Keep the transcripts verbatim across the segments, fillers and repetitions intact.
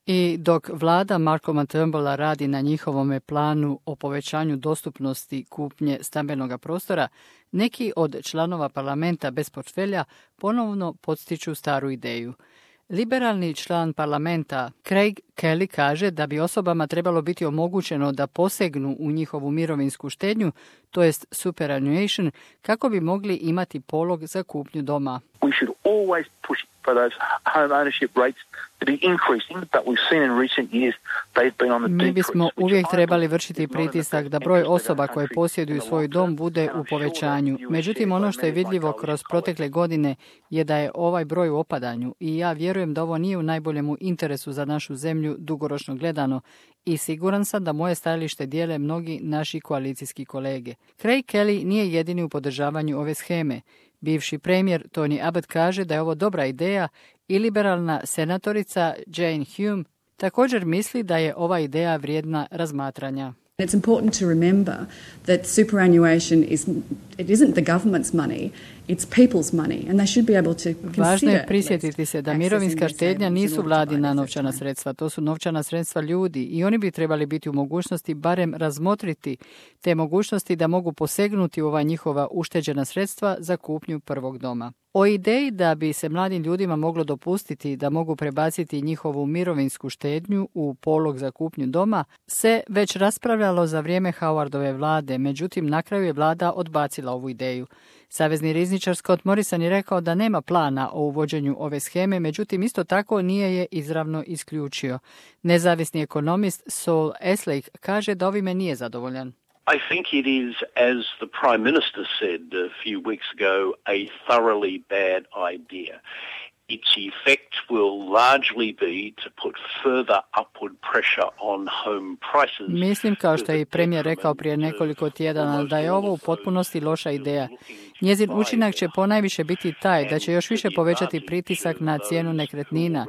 I dok vlada Malcolma Turnbulla radi na njihovome planu o povećanju dostupnosti kupnje stambenog prostora, neki od članova parlamenta bez portfelja ponovno podstiču staru ideju. Liberalni član parlamenta Craig Kelly kaže da bi osobama trebalo biti omogućeno da posegnu u njihovu mirovinsku štednju, to jest superannuation, kako bi mogli imati polog za kupnju doma. We should always push for those home ownership rates to be increasing, but we've seen in recent years they've been on the decrease. Mi bismo uvijek trebali vršiti pritisak da broj osoba koje posjeduju svoj dom bude u povećanju. Međutim, ono što je vidljivo kroz protekle godine je da je ovaj broj u opadanju i ja vjerujem da ovo nije u najboljemu interesu za našu zemlju dugoročno gledano i siguran sam da moje stajalište dijele mnogi naši koalicijski kolege. Craig Kelly nije jedini u podržavanju ove sheme. Bivši premijer Tony Abbott kaže da je ovo dobra ideja i liberalna senatorica Jane Hume također misli da je ova ideja vrijedna razmatranja. It's important to remember that superannuation is it isn't the government's money, it's people's money and they should be able to consider. Važno je prisjetiti se da mirovinska štednja nisu vladina novčana sredstva, to su novčana sredstva ljudi i oni bi trebali biti u mogućnosti barem razmotriti te mogućnosti da mogu posegnuti u ova njihova ušteđena sredstva za kupnju prvog doma. O ideji da bi se mladim ljudima moglo dopustiti da mogu prebaciti njihovu mirovinsku štednju u polog za kupnju doma se već raspravljalo za vrijeme Howardove vlade, međutim na kraju je vlada odbacila ovu ideju. Savezni rizničar Scott Morrison je rekao da nema plana o uvođenju ove sheme, međutim isto tako nije je izravno isključio. Nezavisni ekonomist Saul Eslake kaže da ovime nije zadovoljan. I think it is, as the Prime Minister said a few weeks ago, a thoroughly bad idea. Its effect will largely be to put further upward pressure on home prices. Mislim, kao što je i premijer rekao prije nekoliko tjedana, da je ovo u potpunosti loša ideja. Njezin učinak će ponajviše biti taj da će još više povećati pritisak na cijenu nekretnina,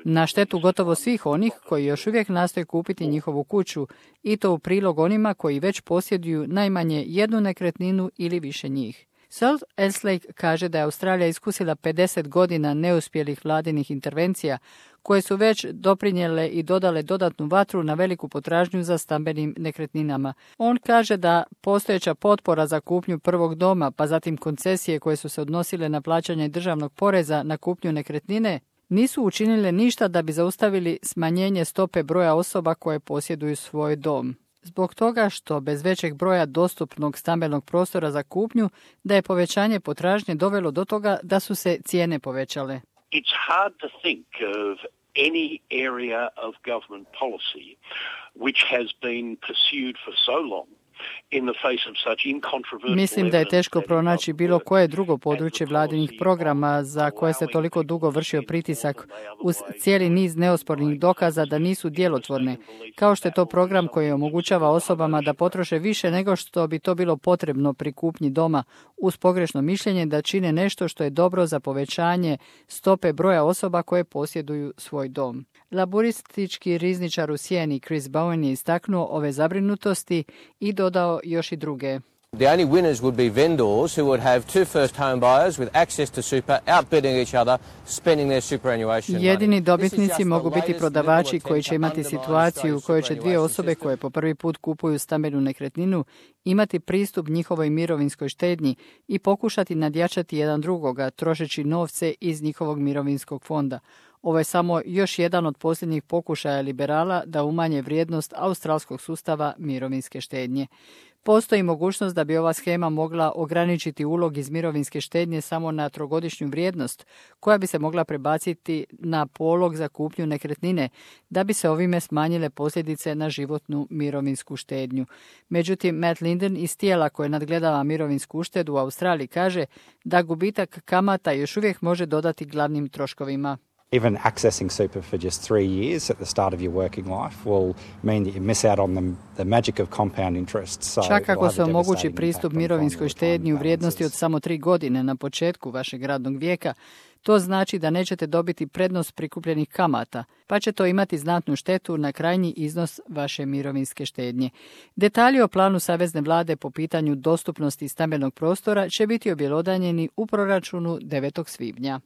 na štetu gotovo svih onih koji još uvijek nastoje kupiti njihovu kuću i to u prilog onima koji već posjeduju najmanje jednu nekretninu ili više njih. Salt Eslake kaže da je Australija iskusila pedeset godina neuspjelih vladinih intervencija koje su već doprinijele i dodale dodatnu vatru na veliku potražnju za stambenim nekretninama. On kaže da postojeća potpora za kupnju prvog doma, pa zatim koncesije koje su se odnosile na plaćanje državnog poreza na kupnju nekretnine, nisu učinile ništa da bi zaustavili smanjenje stope broja osoba koje posjeduju svoj dom. Zbog toga što bez većeg broja dostupnog stambenog prostora za kupnju, da je povećanje potražnje dovelo do toga da su se cijene povećale. It's hard to think of any area of government policy which has been pursued for so long. Mislim da je teško pronaći bilo koje drugo područje vladinih programa za koje se toliko dugo vršio pritisak uz cijeli niz neospornih dokaza da nisu djelotvorne, kao što je to program koji omogućava osobama da potroše više nego što bi to bilo potrebno pri kupnji doma uz pogrešno mišljenje da čine nešto što je dobro za povećanje stope broja osoba koje posjeduju svoj dom. Laburistički rizničar u sjeni Chris Bowen je istaknuo ove zabrinutosti i dodao još i druge. The only winners would be vendors who would have two first home buyers with access to super, outbidding each other, spending their superannuation money. Jedini dobitnici mogu biti prodavači koji će imati situaciju u kojoj će dvije osobe koje po prvi put kupuju stambenu nekretninu imati pristup njihovoj mirovinskoj štednji i pokušati nadjačati jedan drugoga, trošeći novce iz njihovog mirovinskog fonda. Ovo je samo još jedan od posljednjih pokušaja liberala da umanje vrijednost australskog sustava mirovinske štednje. Postoji mogućnost da bi ova shema mogla ograničiti ulog iz mirovinske štednje samo na trogodišnju vrijednost, koja bi se mogla prebaciti na polog za kupnju nekretnine, da bi se ovime smanjile posljedice na životnu mirovinsku štednju. Međutim, Matt Linden iz tijela koje nadgledava mirovinsku uštedu u Australiji kaže da gubitak kamata još uvijek može dodati glavnim troškovima. Even accessing super for just three years at the start of your working life will mean that you miss out on the, the magic of compound interest. So čak ako se omogući pristup mirovinskoj štednji u vrijednosti od samo tri godine na početku vašeg radnog vijeka, to znači da nećete dobiti prednost prikupljenih kamata, pa će to imati znatnu štetu na krajnji iznos vaše mirovinske štednje. Detalji o planu savezne vlade po pitanju dostupnosti stambenog prostora će biti objelodanjeni u proračunu devetog svibnja.